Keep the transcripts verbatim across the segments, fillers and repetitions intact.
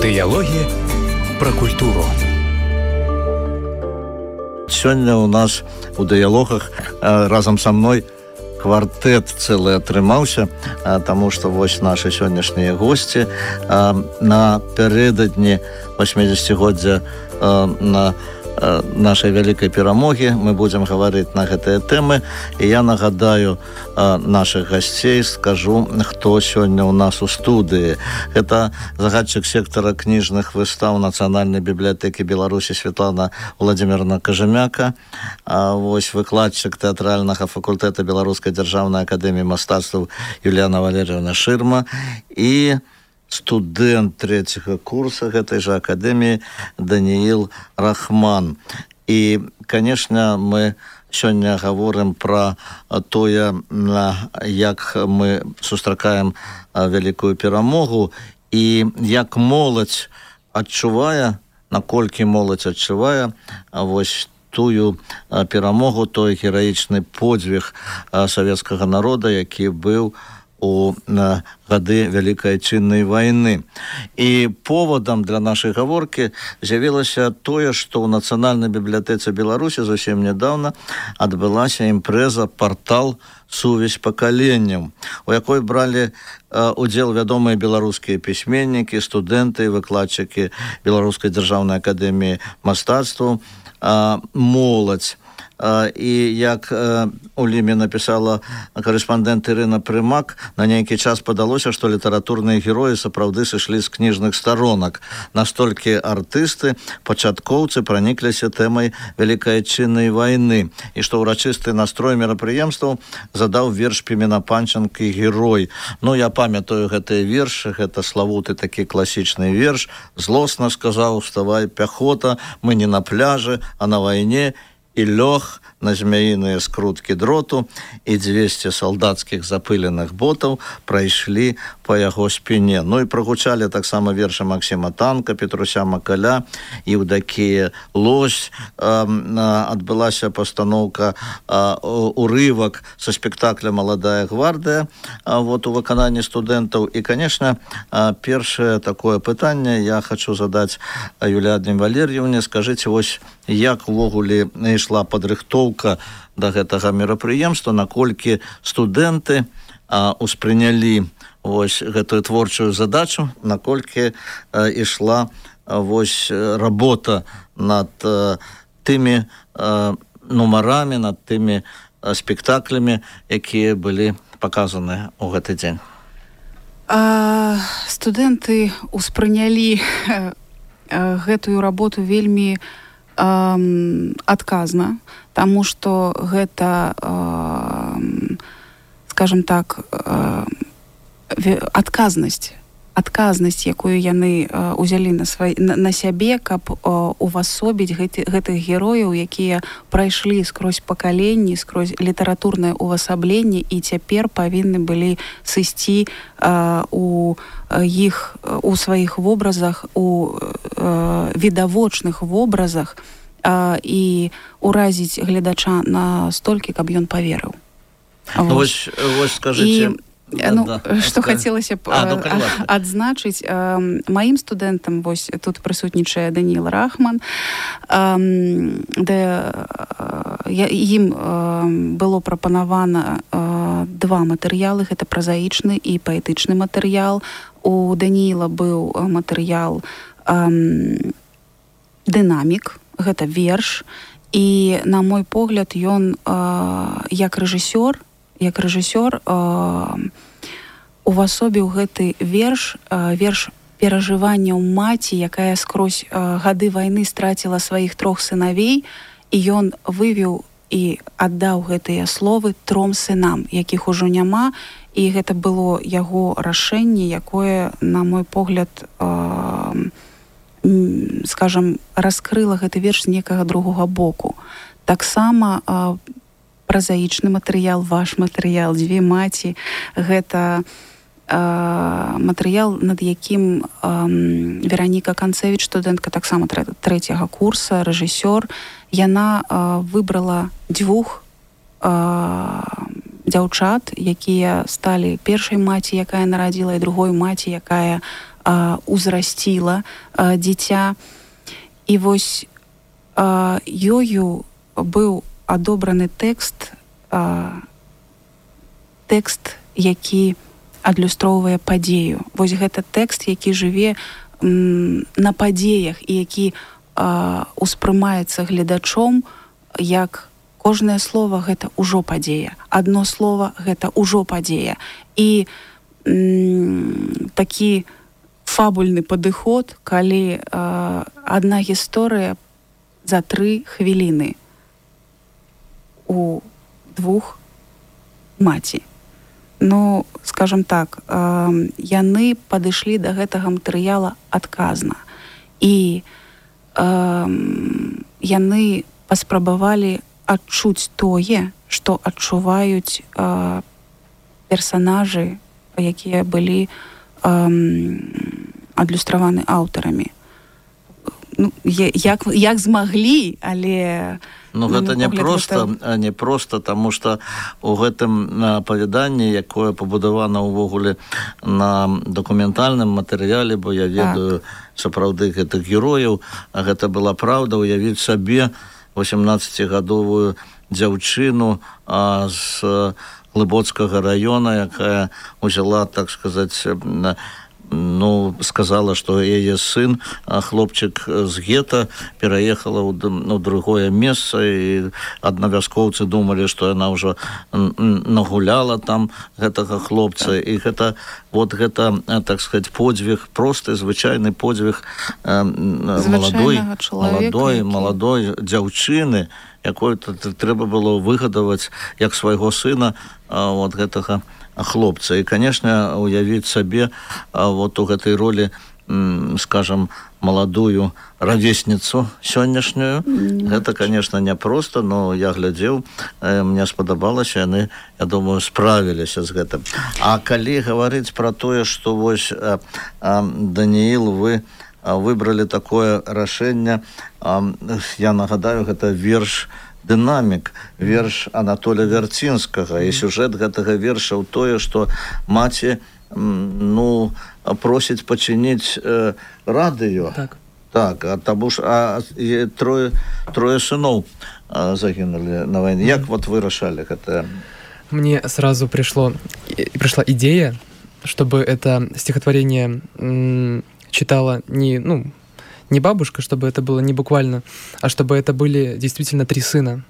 Дыялогі пра культуру. Сёння у нас у дыялогах разам са мной квартэт цэлы атрымаўся, таму што вось нашы сённяшнія госці напярэдадні восьмідзесяцігоддзя на нашай вялікай перамогі. Мы будзем гаварыць на гэтыя тэмы, і я нагадаю нашых гасцей, скажу, хто сёння ў нас у студыі. Гэта загадчык сектара кніжных выстаў Нацыянальнай бібліятэкі Беларусі Святлана Владзіміровна Кажэмяка, вось выкладчык тэатральнага факультэта Беларускай дзяржаўнай акадэміі мастацтваў Юліяна Валерыевна Шырма і студэнт трэцяга курса гэтай жа акадэміі Даніил Рахман. І, канешне, мы сёння гаворым пра тое, як мы сустракаем вялікую перамогу і як моладзь адчувае, наколькі моладзь адчувае вось тую перамогу, той гераічны подзвіг савецкага народа, які быў у гады Вялікай Адчыннай вайны. І повадам для нашай гаворкі з'явілася тое, што ў Нацыянальнай бібліятэцы Беларусі зусім нядаўна адбылася імпрэза «Партал. Сувязь пакаленняў», у якой бралі удзел вядомыя беларускія пісьменнікі, студэнты, выкладчыкі Беларускай дзяржаўнай акадэміі мастацтваў, моладзь. І як у Ліме напісала карэспандэнт Ірына Прымак, на нейкі час падалося, што літаратурныя героі сапраўды сышлі з кніжных старонак. Настолькі артысты, пачаткоўцы пранікліся тэмай Вялікай Адчыннай вайны, і што ўрачысты настрой мерапрыемстваў задаў верш Пімена Панченкі «Герой». Ну, я памятаю гэтыя вершы, гэта славуты такі класічны верш. «Злосна сказаў, вставай, пяхота, мы не на пляжы, а на вайне», і лёг на змяіныя скруткі дроту, і дзвесце салдацкіх запыленых ботаў прайшлі па яго спіне. Ну і прагучалі таксама вершы Максіма Танка, Петруся Макаля, Еўдакія Лось. Адбылася пастаноўка урывак са спектакля «Маладая гвардыя» вот, у выкананні студэнтаў. І, канешне, першае такое пытанне я хочу задаць Юліяне Валерыевне. Скажыце, вось як увогуле ішла падрыхтоўка да гэтага мерапрыемства, наколькі студэнты а, успрынялі вось гэтую творчую задачу, наколькі а, ішла а, вось работа над а, тымі а, нумарамі, над тымі а, спектаклямі, якія былі паказаны ў гэты дзень. А, студэнты успрынялі а, гэтую работу вельмі адказна, таму што гэта, скажем так, адказнасць, адказнасць, якую яны ўзялі на, свай, на, на сябе, каб увасобіць гэты, гэтых герояў, якія прайшлі скрозь пакаленні, скрозь літаратурнае увасабленне і цяпер павінны былі сысці у іх, у сваіх вобразах, у відавочных вобразах і уразіць гледача настолькі, каб ён паверыў. Ну, вось, вось скажыце... І... Ну, да, да. Што хацелася б а, ну, адзначыць, маім студэнтам вось тут прысутнічае Даніил Рахман, де ім было прапанавана два матэрыялы, гэта празаічны і паэтычны матэрыял. У Даніила быў матэрыял дынамік, гэта верш, і на мой погляд ён як рэжысёр як рэжысёр увасобіў гэты верш, верш перажыванняў маці, якая скрозь гады вайны страціла сваіх трох сынавей, і ён вывеў і аддаў гэтыя словы тром сынам, якіх ужо няма, і гэта было яго рашэнне, якое, на мой погляд, скажам, раскрыла гэты верш з некага другога боку. Таксама празаічны матэрыял, ваш матэрыял, дзве маці, гэта матэрыял, над якім Вераніка Канцевіч, студэнтка таксама трэцяга курса, рэжысёр, яна выбрала дзвюх дзяўчат, якія сталі першай маці, якая нарадзіла, і другой маці, якая а, узрасціла а, дзіця. І вось а, ёю быў адобраны тэкст, а, тэкст, які адлюстроўвае падзею. Вось гэта тэкст, які жыве м, на падзеях і які а, успрымаецца гледачом як кожнае слово гэта ўжо падзея. Адно слово гэта ўжо падзея. І м, такі фабульны падыход, калі а, адна гісторыя за тры хвіліны у двух маці. Ну, скажем так, а, яны падышлі да гэтага матэрыяла адказна. І а, яны паспрабавалі адчуць тое, што адчуваюць э, персанажы, якія былі э, адлюстраваны аўтарамі. Ну, як, як змаглі, але... Ну, гэта не проста, гэта... не проста, таму што у гэтым апавяданні, якое пабудавана ўвогуле на дакументальным матэрыяле, бо я ведаю так. сапраўды гэтых герояў, а гэта была праўда, уявіць сабе восемнаццацігадовую дзяўчыну а, з Глыбоцкага раёна, якая узяла, так сказаць, ну, сказала, што яе сын, хлопчык з гета, пераехала ў, ў другое месца, і аднавяскоўцы думалі, што яна ўжо нагуляла там гэтага хлопца, і гэта, вот гэта, так сказаць, подзвіг, просты, звычайны подзвіг маладой, маладой, маладой дзяўчыны, якой трэба было выгадаваць як свайго сына вот гэтага хлопца. І, конечно, уявіць сабе вот у гэтай ролі, скажем, маладую равесніцу сённяшнюю. Mm-hmm. Гэта, конечно, няпроста, но я глядзеў, мне спадабалася, яны, я думаю, справіліся з гэтым. А калі гаварыць пра тое, што вось Даніил, вы выбралі такое рашэнне, я нагадаю, гэта верш «Дынамік», верш Анатолія Вярцінскага, і сюжэт гэтага верша ў тое, што маці, ну, просіць пачыніць э, радыё. Так. Так, а таму ж а, трое, трое сыноў а, загінулі на вайне. Як вот вы рашалі гэта? Мне сразу пришло, пришла идея, чтобы это стихотворение м, читала не, ну, не бабушка, чтобы это было не буквально, а чтобы это были действительно три сына,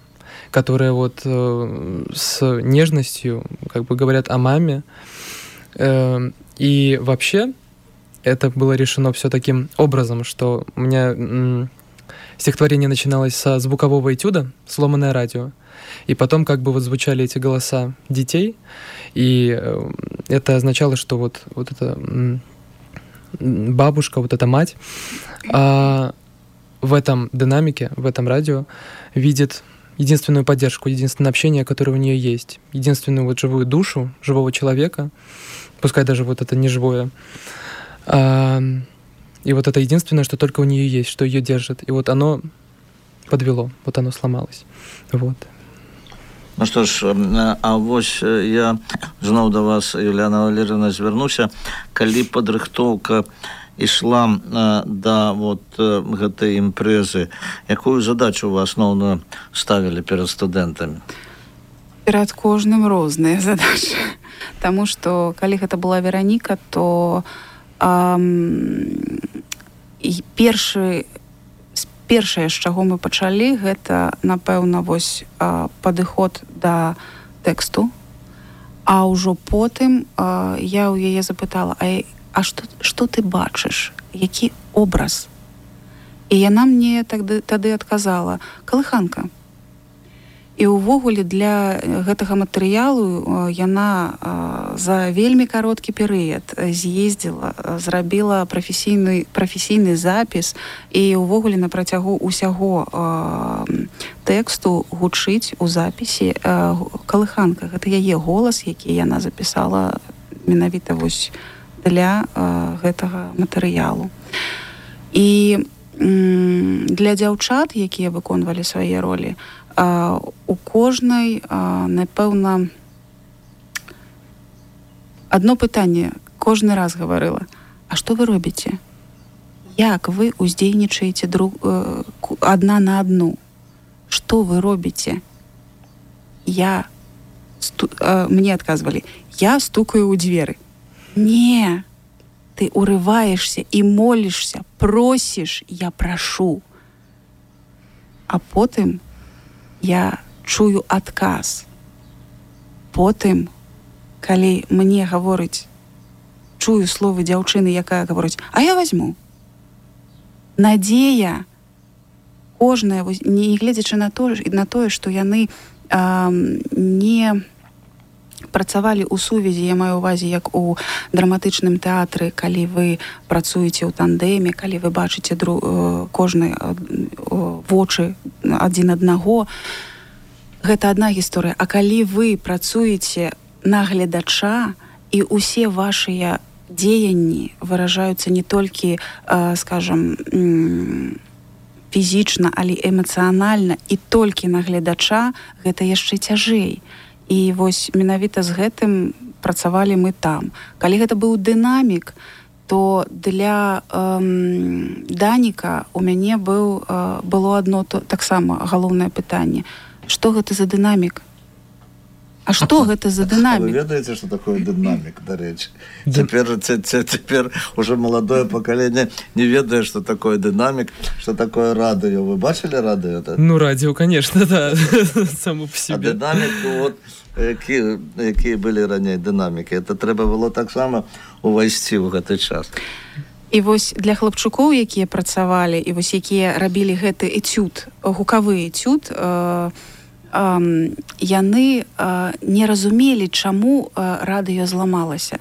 которые вот э, с нежностью как бы говорят о маме. Э, и вообще это было решено все таким образом, что у меня м, стихотворение начиналось со звукового этюда «Сломанное радио», и потом как бы вот звучали эти голоса детей, и э, это означало, что вот, вот эта м, бабушка, вот эта мать, а в этом динамике, в этом радио видит единственную поддержку, единственное общение, которое у нее есть, единственную вот живую душу живого человека, пускай даже вот это не живое, а, и вот это единственное, что только у нее есть, что ее держит, и вот оно подвело, вот оно сломалось, вот. Ну што ж, а вось я зноў да вас, Юліяна Валерыевна, звярнуся, калі падрыхтоўка ішла да вот гэтай імпрэзы, якую задачу вы асноўную ставілі перад студэнтамі? Перад кожным розныя задачы. Таму што, калі гэта была Вераніка, то ам, і першы Першае, з чаго мы пачалі, гэта, напэўна, вось а, падыход да тэксту, а ўжо потым а, я ў яе запытала, а, а што, што ты бачыш? Які образ? І яна мне тады, тады адказала: калыханка. І ўвогуле для гэтага матэрыялу яна за вельмі кароткі перыяд з'ездзіла, зрабіла прафесійны, прафесійны запіс, і ўвогуле на працягу ўсяго тэксту гучыць у запісе калыханка. Гэта яе голас, які яна запісала менавіта вось для гэтага матэрыялу. І для дзяўчат, якія выконвалі свае ролі, Uh, у кожнай, uh, напэўна, одно пытанне кожны раз гаварыла: а што вы робіце? Як вы уздзейнічаеце друг э, адна на адну? Што вы робіце? Я сту, э, мне адказвалі: я стукаю ў дзверы. Не, ты урываешься і молішся, просіш, я прашу. А потым я чую адказ. Потым, калі мне гаворыць, чую словы дзяўчыны, якая гаворыць: а я возьму. Надзея кожная, не гледзячы на то, на тое, што яны э, не працавалі ў сувязі, я маю ўвазе, як у драматычным тэатры, калі вы працуеце ў тандеме, калі вы бачыце дру, э, кожны э, вочы адзін аднаго, гэта адна гісторыя. А калі вы працуеце на гледача, і ўсе вашыя дзеянні выражаюцца не толькі, э, скажам, фізічна, але эмацыянальна, і толькі на гледача, гэта яшчэ цяжэй. І вось менавіта з гэтым працавалі мы там. Калі гэта быў дынамік, то для эм, Даніка у мяне быў, э, было адно то, таксама галоўнае пытанне: што гэта за дынамік? А што гэта за дынамік? Вы ведаеце, што такое дынамік, дарэчы? Цяпер, цяпер уже маладое пакаленне не ведае, што такое дынамік, што такое радыё. Вы бачылі радыё? Ну, радио, конечно, да, само по себе. А дынамік, вот, якія, якія былі раней дынамікі, это трэба было таксама увайсці ў гэты час. І вось для хлапчукоў, якія працавалі, і вось якія рабілі гэты этюд, гукавы этюд, э, Um, яны uh, не разумелі, чаму uh, радыё зламалася.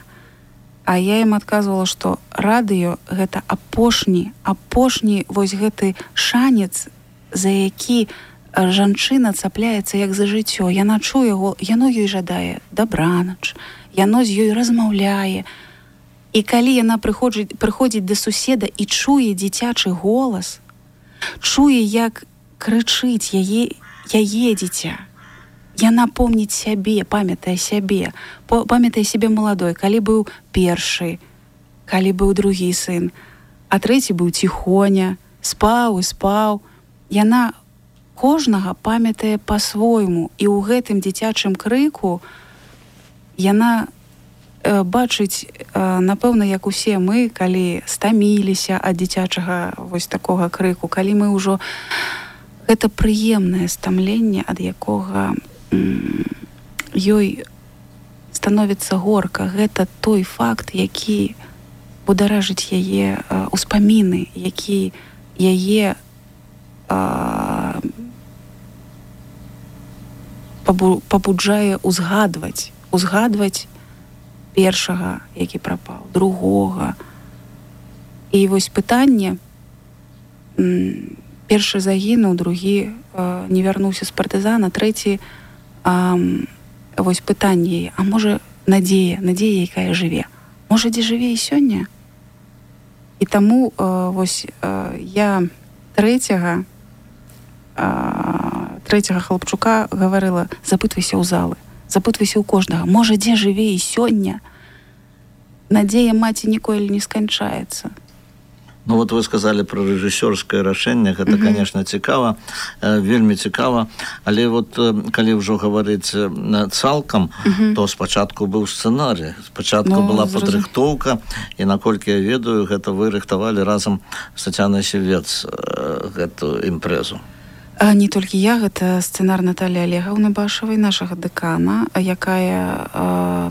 А я ім адказвала, што радыё гэта апошні, апошні вось гэты шанец, за які uh, жанчына цапляецца як за жыццё. Яна чуе, яно ёй жадае дабранач, яно з ёй размаўляе. І калі яна прыходзіць, прыходзіць да суседа і чуе дзіцячы голас, чуе, як крычыць яе яе дзіця. Яна помніць сябе, памятае сябе, памятае сябе маладой, калі быў першы, калі быў другі сын, а трэці быў ціхоня, спаў і спаў. Яна кожнага памятае па-свойму, і ў гэтым дзіцячым крыку яна э, бачыць, э, напэўна, як усе мы, калі стаміліся ад дзіцячага вось такога крыку, калі мы ўжо гэта прыемнае стамленне, ад якога м, ёй становіцца горка. Гэта той факт, які бударажыць яе э, успаміны, які яе э, пабу, пабуджае узгадваць, узгадваць першага, які прапаў, другога. І вось пытанне, м, першы загінуў, другі э, не вярнуўся з партызана, трэці, э, вось пытанне, а можа надзея, надзея, якая жыве. Можа, дзе жыве і сёння? І таму э, вось э, я трэцяга, э, трэцяга хлапчука гаварыла: запытвайся ў залы, запытвайся ў кожнага. Можа, дзе жыве і сёння? Надзея маці ніколі не сканчаецца. Ну вот вы сказали про рэжысёрскае рашэнне, гэта, mm-hmm. конечно, цікава, э, вельмі цікава, але вот э, калі ўжо гаварыць э, цалкам, mm-hmm. то спачатку быў сцэнарый, спачатку no, была падрыхтоўка, і наколькі я ведаю, гэта вы рыхтавалі разам з Тацянай Сівец э, гэту імпрэзу. А не толькі я, гэта сцэнар Наталі Олегаўны Башавай, нашага дэкана, якая э,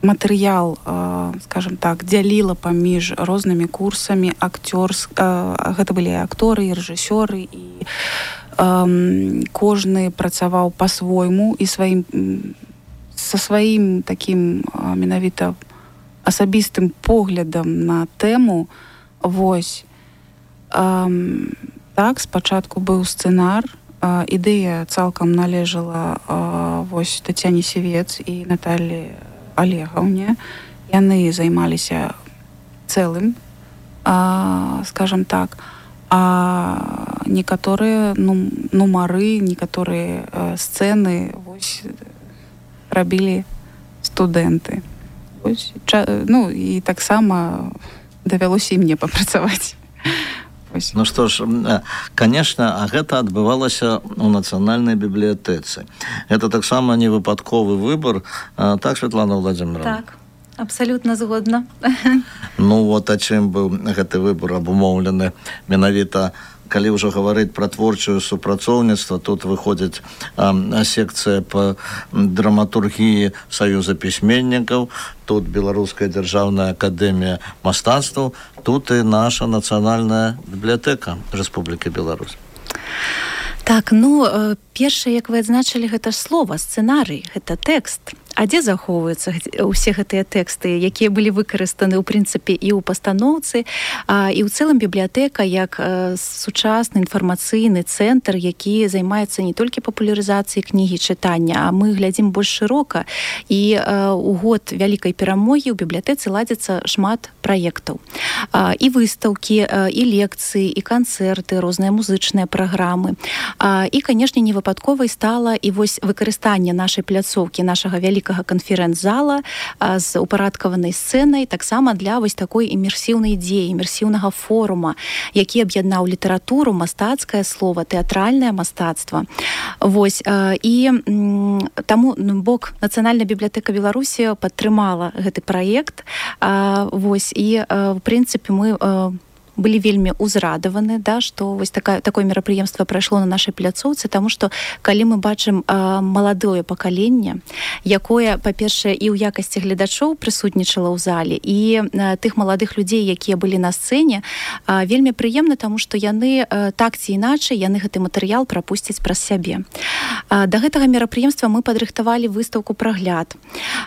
матэрыял, э, скажем так, дзяліла паміж рознымі курсамі акцёрс, э, гэта былі акторы і рэжысёры, і э, кожны працаваў па-свойму і сваім, са сваім такім э, менавіта асабістым поглядам на тэму. Вось. Э, так, спачатку быў сцэнар, э, ідэя цалкам належала э, вось Тацяне Сівец і Наталі Олегаўне. Яны займаліся цэлым, а, скажем так, а некаторыя ну, нумары, некаторыя а, сцэны вось рабілі студэнты. Вось, ча, ну і таксама давялося і мне папрацаваць. Ну што ж, конечно, а гэта адбывалася у нацыянальнай бібліятэцы. Гэта таксама не выпадковы выбор, так, Светлана Владимировна? Так, абсолютно згодна. Ну вот, а чым быў гэты выбор абумоўлены? Менавіта, калі ўжо гаварыць пра творчае супрацоўніцтва, тут выходзіць а, секцыя па драматургіі Саюза пісьменнікаў, тут Беларуская дзяржаўная акадэмія мастацтваў, тут і наша нацыянальная бібліятэка Рэспублікі Беларусь. Так, ну, першае, як вы адзначылі, гэта ж слова, сцэнарый, гэта тэкст. А дзе захоўваюцца ўсе гэтыя тэксты, якія былі выкарыстаны ў прынцыпе і ў пастаноўцы, а, і ў цэлым бібліятэка як а, сучасны інфармацыйны цэнтр, які займаецца не толькі папулярызацыяй кнігі чытання, а мы глядзім больш шырока. І а, у год вялікай перамогі ў бібліятэцы ладзіцца шмат праектаў. А, і выстаўкі, а, і лекцыі, і канцэрты, розныя музычныя праграмы. А, і, канешне, невыпадковай стала і вось выкарыстанне нашай пляцоўкі, нашага вялікага канферэнц-зала з упарадкаванай сцэнай таксама для вось такой імерсіўнай ідзеі, імерсіўнага форума, які аб'яднаў літаратуру, мастацкае слова, тэатральнае мастацтва. Вось, і таму бок Нацыянальная бібліятэка Беларусі падтрымала гэты праект. Вось, і в прынцыпе мы былі вельмі ўзрадаваны, да, што вось такая, такое мерапрыемства прайшло на нашай пляцоўцы, таму што калі мы бачым а, маладое пакаленне, якое, па-першае, і ў якасці гледачоў прысутнічала ў зале, і а, тых маладых людзей, якія былі на сцэне, а, вельмі прыемна, таму што яны а, так ці іначай, яны гэты матэрыял прапусцяць праз сябе. А, да гэтага мерапрыемства мы падрыхтавалі выстаўку прагляд,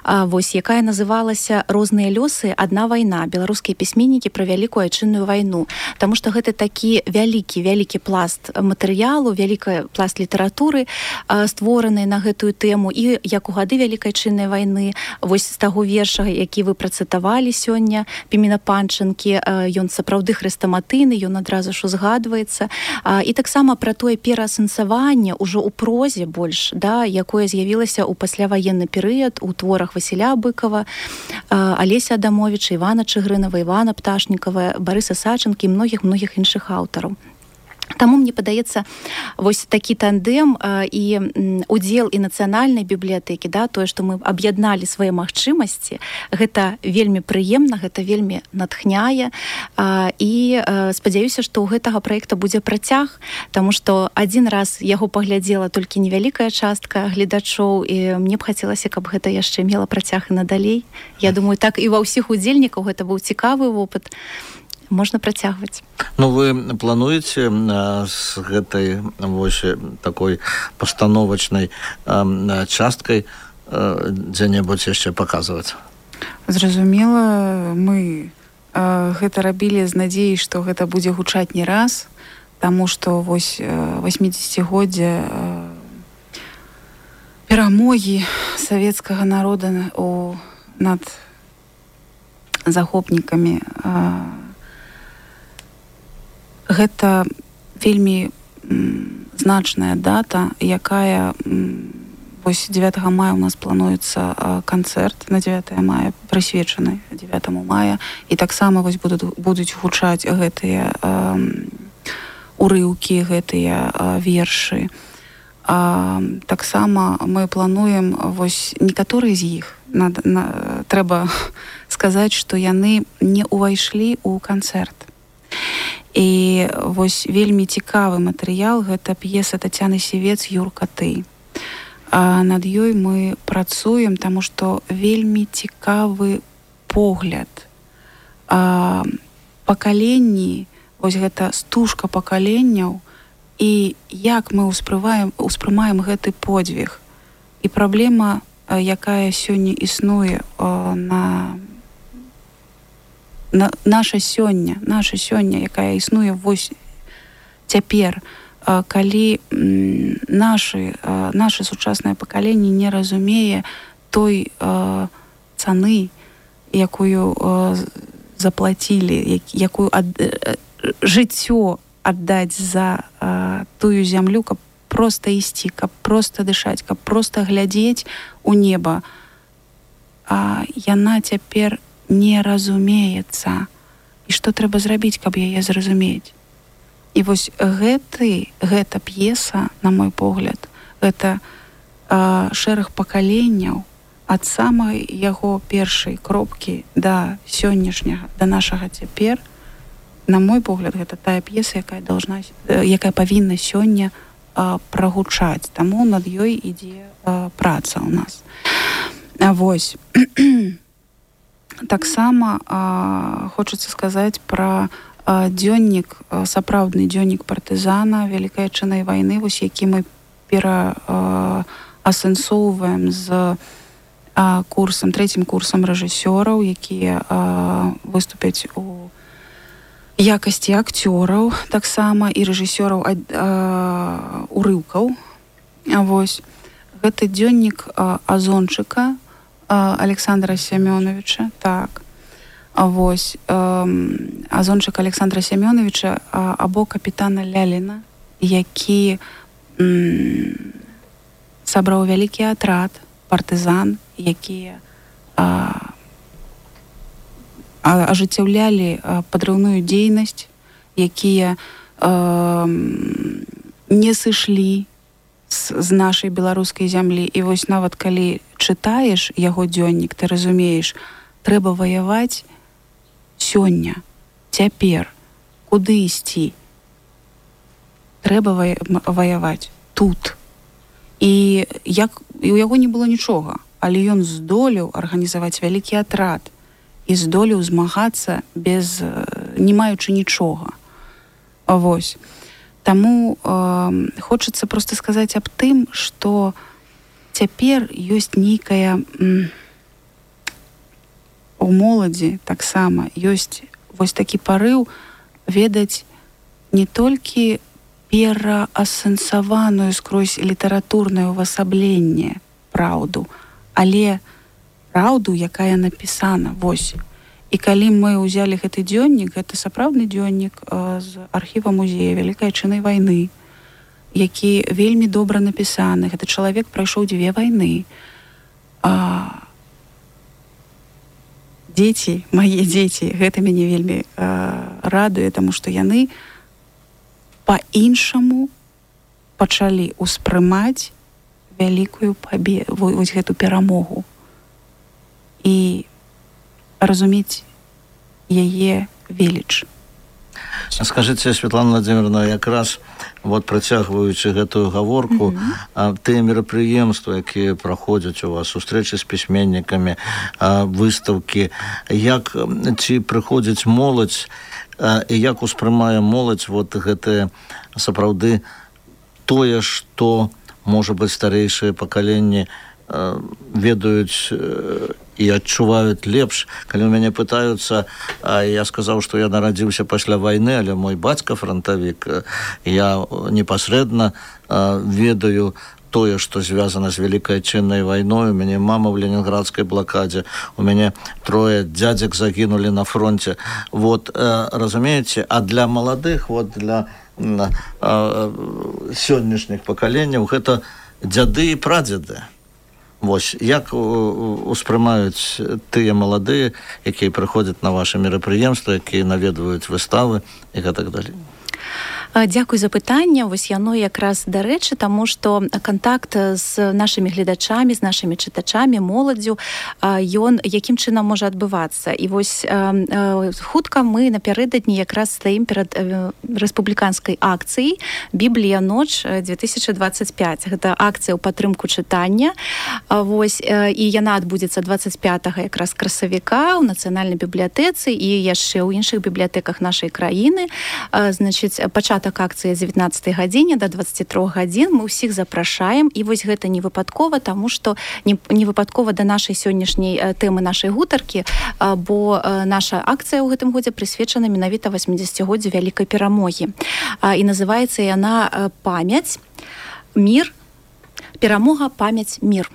а, вось, якая называлася «Розныя лёсы. Адна вайна. Беларускія пісьменнікі пра вялікую айчынную вайну». Таму што гэта такі вялікі вялікі пласт матэрыялу, вялікі пласт літаратуры створаны на гэтую тэму, і як у гады вялікай айчыннай вайны, вось з таго верша, які вы працытавалі сёння, Пімена Панчынкі, ён сапраўды хрэстаматыйны, ён адразу ж узгадваецца, і таксама пра тое пераасэнсаванне ўжо ў прозе больш, да, якое з'явілася ў пасляваенны перыяд у творах Васіля Быкова, Алеся Адамовіча, Івана Чыгрынава, Івана Пташнікава, Барыса Сачынкі і многіх-многіх іншых аўтараў. Таму мне падаецца вось такі тандем а, і м, удзел і нацыянальнай бібліятэкі, да, тое, што мы аб'ядналі свае магчымасці, гэта вельмі прыемна, гэта вельмі натхняе, а, і а, спадзяюся, што ў гэтага праекта будзе працяг, таму што адзін раз яго паглядзела толькі невялікая частка гледачоў, і мне б хацелася, каб гэта яшчэ мела працяг і надалей. Я думаю, так і ва ўсіх удзельнікаў гэта быў цікавы вопыт. Можна працягваць. Ну, вы плануеце а, з гэтай вось такой пастановачнай а, часткай а, дзе-небудзь яшчэ паказваць? Зразумела, мы а, гэта рабілі з надзеяй, што гэта будзе гучаць не раз, таму што вось васьмідзесяцігоддзе перамогі савецкага народа у, над захопнікамі а, гэта вельмі м, значная дата, якая м, вось дзевятага мая у нас плануецца а, канцэрт на дзевятае мая, прысвечаны дзевятаму мая, і таксама вось будуць, будуць гучаць гэтыя а, урыўкі, гэтыя а, вершы. А, таксама мы плануем вось некаторыя з іх. На, на, трэба сказаць, што яны не ўвайшлі ў канцэрт. І вось вельмі цікавы матэрыял, гэта п'еса Тацяны Сівец «Юрка, ты». А над ёй мы працуем, таму што вельмі цікавы погляд. А, пакаленні, вось гэта стужка пакаленняў, і як мы ўспрымаем, ўспрымаем гэты подзвіг. І праблема, якая сёння існуе на На, наша сёння, наша сёння, якая існуе вось цяпер, а, калі м, нашы, а, наша сучаснае пакаленне не разумее той а, цаны, якую а, заплацілі, як, якую ад, а, жыццё аддаць за а, тую зямлю, каб проста ісці, каб проста дышаць, каб проста глядзець у неба. а, яна цяпер не разумеецца. І што трэба зрабіць, каб яе зразумець? І вось гэты, гэта п'еса, на мой погляд, гэта а, шэраг пакаленняў ад самай яго першай кропкі да сённяшняга, да нашага цяпер. На мой погляд, гэта тая п'еса, якая должна, якая павінна сёння а, прагучаць. Таму над ёй ідзе а, праца ў нас. А вось. Таксама а, хочацца сказаць пра а, дзённік, а, сапраўдны дзённік партызана Вялікай Адчайнай вайны, вось які мы пераасэнсоўваем з а, курсам, трэцім курсам рэжысёраў, якія а, выступяць у якасці акцёраў, таксама і рэжысёраў а, а, урыўкаў. А вось гэты дзённік а, Азончыка а, Александра Семёновича, так. А вось а, Азончык Александра Семёновича а, або капітана Ляліна, які м, сабраў вялікі атрад партызан, якія а, а, ажыццяўлялі а, падрыўную дзейнасць, якія а, не сышлі з, з нашай беларускай зямлі. І вось нават калі чытаеш яго дзённік, ты разумееш, трэба ваяваць сёння, цяпер, куды ісці. Трэба ваяваць тут. І як і у яго не было нічога, але ён здолеў арганізаваць вялікі атрад і здолеў змагацца без, не маючы нічога. Вось. Таму э, хочацца проста сказаць аб тым, што цяпер ёсць нейкая м, у моладзі таксама ёсць вось такі парыў ведаць не толькі пераасэнсаваную скрозь літаратурнае ўвасабленне праўду, але праўду, якая напісана. Вось. І калі мы ўзялі гэты дзённік, гэта сапраўдны дзённік э, з архіва музея Вялікай Адчайнай вайны, які вельмі добра напісаны. Гэты чалавек прайшоў дзве вайны. А, дзеці, мае дзеці, гэта мяне вельмі э, радуе, таму што яны па-іншаму пачалі ўспрымаць вялікую пабе... вось гэту перамогу і разумець яе веліч. Скажыце, Светлана Владимировна, якраз вот працягваючы гэтую гаворку, mm-hmm. тыя мерапрыемствы, якія праходзяць у вас, сустрэчы з пісьменнікамі, выстаўкі, як ці прыходзіць моладзь і як успрымае моладзь вот гэтае сапраўды тое, што, можа быць, старэйшыя пакаленні ведаюць і адчуваюць лепш. Калі ў мяне пытаюцца, я сказаў, што я нарадзіўся пасля вайны, але мой бацька фронтавік, я непасрэдна ведаю тое, што звязана з Вялікай Адчайнай вайной. У мяне мама ў ленінградскай блакадзе, у мяне трое дзядзек загінулі на фронте. Вот, разумееце, а для маладых, вот для сённяшніх пакаленняў гэта дзяды і прадзеды. Вось, як успрымаюць тыя маладыя, якія прыходзяць на вашы мерапрыемствы, якія наведваюць выставы і гэтак далей? Дзякуй за пытанне. Вось яно якраз дарэчы, таму што кантакт з нашымі гледачамі, з нашымі чытачамі, моладдзю, ён якім чынам можа адбывацца. І вось хутка мы напярэдадні якраз стаім перад рэспубліканскай акцыяй «Біблія ноч две тысячы двадцать пять». Гэта акцыя ў падтрымку чытання. Вось, і яна адбудзецца двадцать пятага якраз красавіка ў нацыянальнай бібліятэцы і яшчэ ў іншых бібліятэках нашай краіны. Значыць, пачатак акцыі з дзевятнаццатай гадзіне да двадцаці трох гадзін. Мы ўсіх запрашаем, і вось гэта не выпадкова, таму што не, не выпадкова да нашай сённяшняй тэмы нашай гутаркі, бо наша акцыя ў гэтым годзе прысвечана менавіта васьмідзесяцігоддзю вялікай перамогі. І называецца яна «Памяць, мір, перамога, памяць, мір».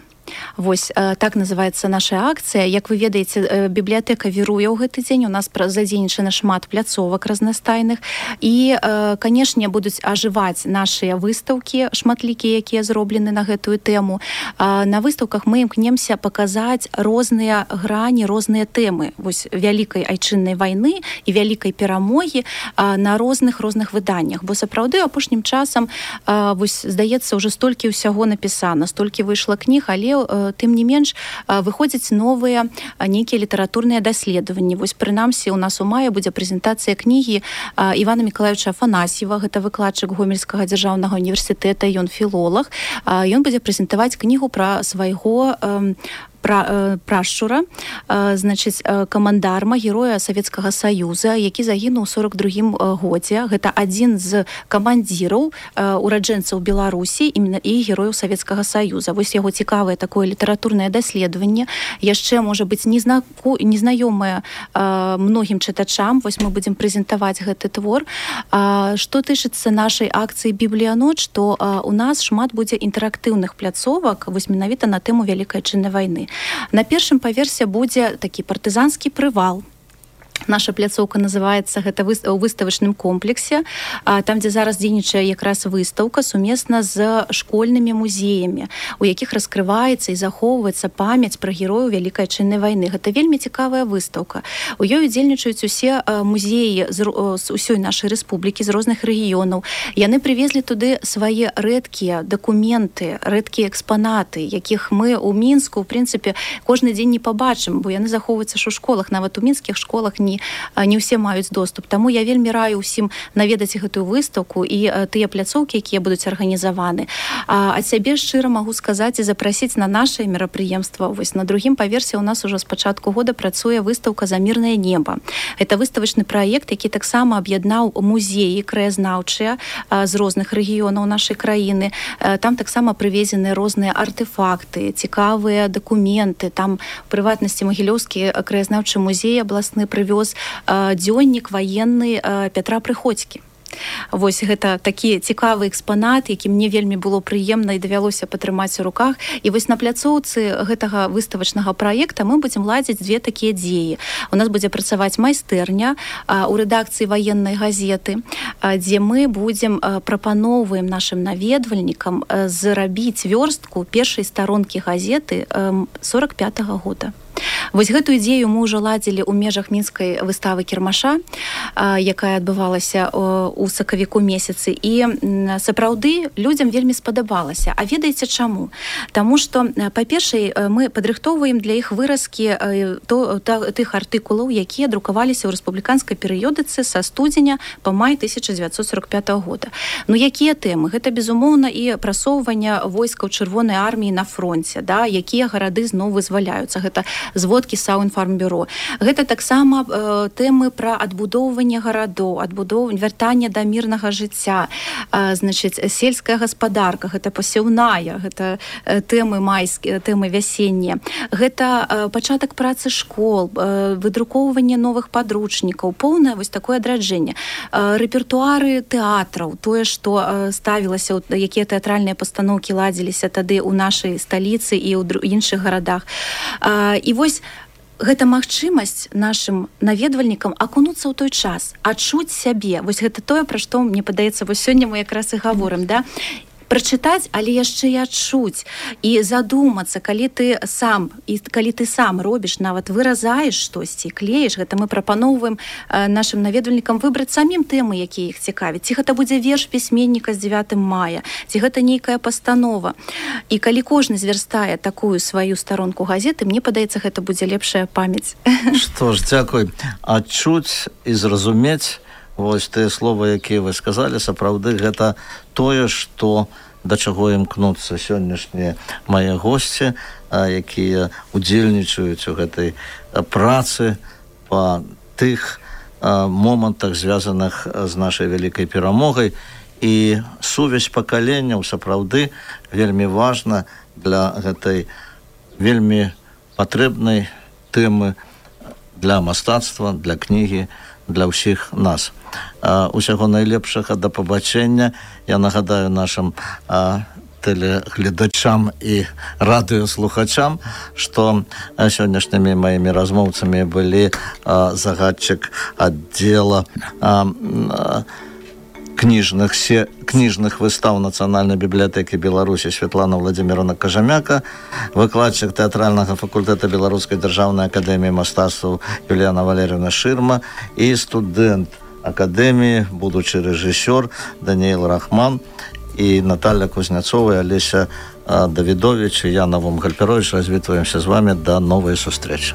Вось так называецца наша акцыя. Як вы ведаеце, бібліятэка віруе ў гэты дзень, у нас задзейнічана шмат пляцовак разнастайных і, канешне, будуць ажываць нашыя выстаўкі шматлікія, якія зроблены на гэтую тэму. На выстаўках мы імкнемся паказаць розныя грані, розныя тэмы вось вялікай айчыннай вайны і вялікай перамогі на розных розных выданнях. Бо сапраўды апошнім часам вось здаецца ўжо столькі ўсяго напісана, столькі выйшла кніг, але тым не менш выходзяць новыя нейкія літаратурныя даследаванні. Вось прынамсі у нас у маі будзе прэзентацыя кнігі Івана Мікалаевича Афанасьева, гэта выкладчык Гомельскага дзяржаўнага універсітэта, ён філолог. Ён будзе прэзентаваць кнігу пра свайго прашчура, значыць, камандарма, героя Савецкага Саюза, які загінуў у сорок другім годзе. Гэта адзін з камандзіраў ураджэнцаў Беларусі і герояў Савецкага Саюза. Вось яго цікавае такое літаратурнае даследаванне. Яшчэ, можа быць, незнаёмае многім чытачам. Вось мы будзем прэзентаваць гэты твор. Што тычыцца нашай акцыі «Бібліяноч», то у нас шмат будзе інтэрактыўных пляцовак, вось менавіта на тэму Вялікай Айчыннай вайны. На першым паверсе будзе такі партызанскі прывал. Наша пляцоўка называецца гэта у выставачным комплексе, там, дзе зараз дзейнічае якраз выстаўка сумесна з школьнымі музеямі, у якіх раскрываецца і захоўваецца памяць пра герояў Вялікай Айчыннай вайны. Гэта вельмі цікавая выстаўка. У ёй удзельнічаюць усе музеі з усёй нашай рэспублікі, з розных рэгіёнаў. Яны прывезлі туды свае рэдкія дакументы, рэдкія экспанаты, якіх мы ў Мінску, у прынцыпе, кожны дзень не пабачым, бо яны захоўваюцца ж у школах, нават у мінскіх школах не, не ўсе маюць доступ. Таму я вельмі раю ўсім наведаць гэтую выстаўку і тыя пляцоўкі, якія будуць арганізаваны. А ад сябе шчыра магу сказаць і запрасіць на нашае мерапрыемства. Вось на другім паверсе у нас ужо з пачатку года працуе выстаўка «Замірнае неба». Это выставачны праект, які таксама аб'яднаў музеі краязнаўчыя з розных рэгіёнаў нашай краіны. Там таксама прывезены розныя артефакты, цікавыя дакументы. Там, у прыватнасці, Магілёўскі краязнаўчы музей абласны прывёз дзённік ваенны Пятра Прыходзькі. Вось гэта такі цікавы экспанат, які мне вельмі было прыемна і давялося патрымаць у руках. І вось на пляцоўцы гэтага выставачнага праекта мы будзем ладзіць две такія дзеі. У нас будзе працаваць майстэрня у рэдакцыі ваеннай газеты, дзе мы будзем прапаноўваем нашым наведвальнікам зрабіць вёрстку першай старонкі газеты сорок пятага года. Вось гэтую ідзею мы ўжо ладзілі ў межах мінскай выставы кірмаша, якая адбывалася ў сакавіку месяцы. І сапраўды людзям вельмі спадабалася. А ведаеце чаму? Таму што, па-першае, мы падрыхтоўваем для іх выразкі тых артыкулаў, якія друкаваліся ў рэспубліканскай перыёдыцы са студзеня па май тысяча дзевяцьсот сорок пятага года. Ну, якія тэмы? Гэта, безумоўна, і прасоўванне войскаў Чырвонай арміі на фронце, да? Якія гарады зноў вызваляюцца. Гэта зводкі Саўінфармбюро. Гэта таксама э, тэмы пра адбудоўванне гарадоў, адбудоўванне, вяртанне да мірнага жыцця, э, значыць, сельская гаспадарка, гэта пасеўная, гэта э, тэмы майскія, тэмы вясеннія. Гэта э, пачатак працы школ, э, выдрукоўванне новых падручнікаў, поўнае вось такое адраджэнне. Э, рэпертуары тэатраў, тое, што э, ставілася, якія тэатральныя пастаноўкі ладзіліся тады ў нашай сталіцы і ў іншых гарадах. Э, І вось гэта магчымасць нашым наведвальнікам акунуцца ў той час, адчуць сябе. Вось гэта тое, пра што, мне падаецца, вось сёння мы якраз і гаворым, да? Прачытаць, але яшчэ і адчуць і задумацца, калі ты сам і калі ты сам робіш, нават выразаеш штосьці, клеіш, гэта мы прапаноўваем нашым наведвальнікам выбраць самім тэмы, якія іх цікавяць. Ці гэта будзе верш пісьменніка з дзевятым мая, ці гэта нейкая пастанова. І калі кожны звярстае такую сваю старонку газеты, мне падаецца, гэта будзе лепшая памяць. Што ж, дзякуй. Адчуць і зразумець, вось тыя словы, якія вы сказалі, сапраўды гэта тое, што да чаго імкнуцца сённяшнія мае госці, якія удзельнічаюць у гэтай працы па тых момантах, звязаных з нашай вялікай перамогай. І сувязь пакаленняў сапраўды вельмі важна для гэтай вельмі патрэбнай тэмы для мастацтва, для кнігі, для ўсіх нас. А, усяго найлепшага, да пабачэння. Я нагадаю нашым а, тэлегледачам і радыёслухачам, што сённяшнімі маімі размоўцамі былі загадчык аддзела кніжных, се, кніжных выстаў Нацыянальнай бібліятэкі Беларусі Святлана Владимировна Кажамяка, выкладчык тэатральнага факультэта Беларускай дзяржаўнай акадэміі мастацтваў Юліяна Валерьевна Шырма і студэнт акадэміі, будучы рэжысёр Даніэл Рахман і Наталья Кузняцова, Олеся Давидович и я, Навум Гальперович, развітваемся з вами. До новой встречи.